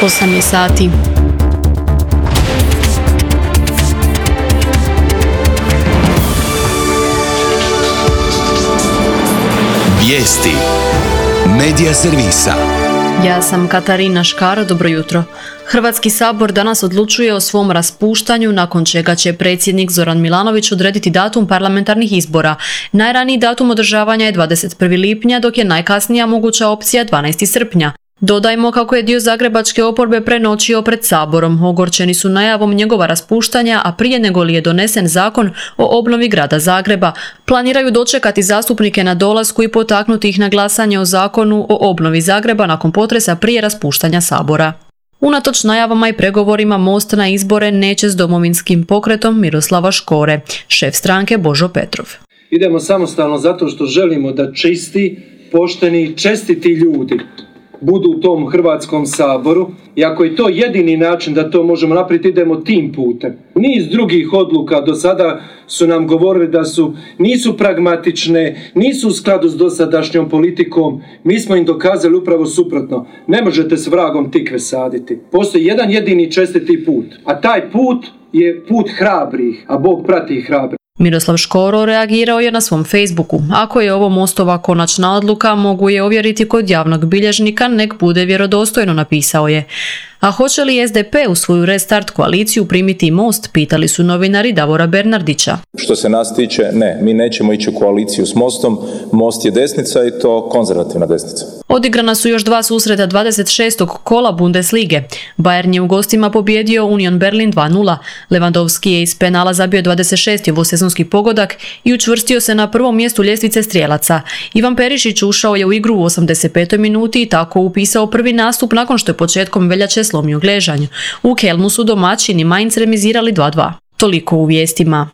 8 je sati. Vijesti Medija servisa. Ja sam Katarina Škaro, dobro jutro. Hrvatski sabor danas odlučuje o svom raspuštanju, nakon čega će predsjednik Zoran Milanović odrediti datum parlamentarnih izbora. Najraniji datum održavanja je 21. lipnja, dok je najkasnija moguća opcija 12. srpnja. Dodajmo kako je dio zagrebačke oporbe prenoćio pred saborom. Ogorčeni su najavom njegova raspuštanja, a prije nego li je donesen zakon o obnovi grada Zagreba. Planiraju dočekati zastupnike na dolasku i potaknuti ih na glasanje o zakonu o obnovi Zagreba nakon potresa prije raspuštanja sabora. Unatoč najavama i pregovorima, Most na izbore neće s Domovinskim pokretom Miroslava Škore. Šef stranke Božo Petrov. Idemo samostalno zato što želimo da čisti, pošteni i čestiti ljudi budu u tom Hrvatskom saboru, i ako je to jedini način da to možemo napraviti, idemo tim putem. Niz drugih odluka do sada su nam govorili da nisu pragmatične, nisu u skladu s dosadašnjom politikom. Mi smo im dokazali upravo suprotno. Ne možete s vragom tikve saditi. Postoji jedan jedini čestiti put, a taj put je put hrabrih, a Bog prati hrabrih. Miroslav Škoro reagirao je na svom Facebooku. Ako je ovo Mostova konačna odluka, mogu je ovjeriti kod javnog bilježnika, nek bude vjerodostojno, napisao je. A hoće li SDP u svoju restart koaliciju primiti Most, pitali su novinari Davora Bernardića. Što se nas tiče, ne, mi nećemo ići u koaliciju s Mostom. Most je desnica i to konzervativna desnica. Odigrana su još dva susreta 26. kola Bundeslige. Bayern je u gostima pobijedio Union Berlin 2:0. Lewandowski je iz penala zabio 26. ovosezonski pogodak i učvrstio se na prvom mjestu ljestvice strijelaca. Ivan Perišić ušao je u igru u 85. minuti i tako upisao prvi nastup nakon što je početkom veljače slomio gležanj. U Kelnu su domaćini Mainz remizirali 2:2. Toliko u vijestima.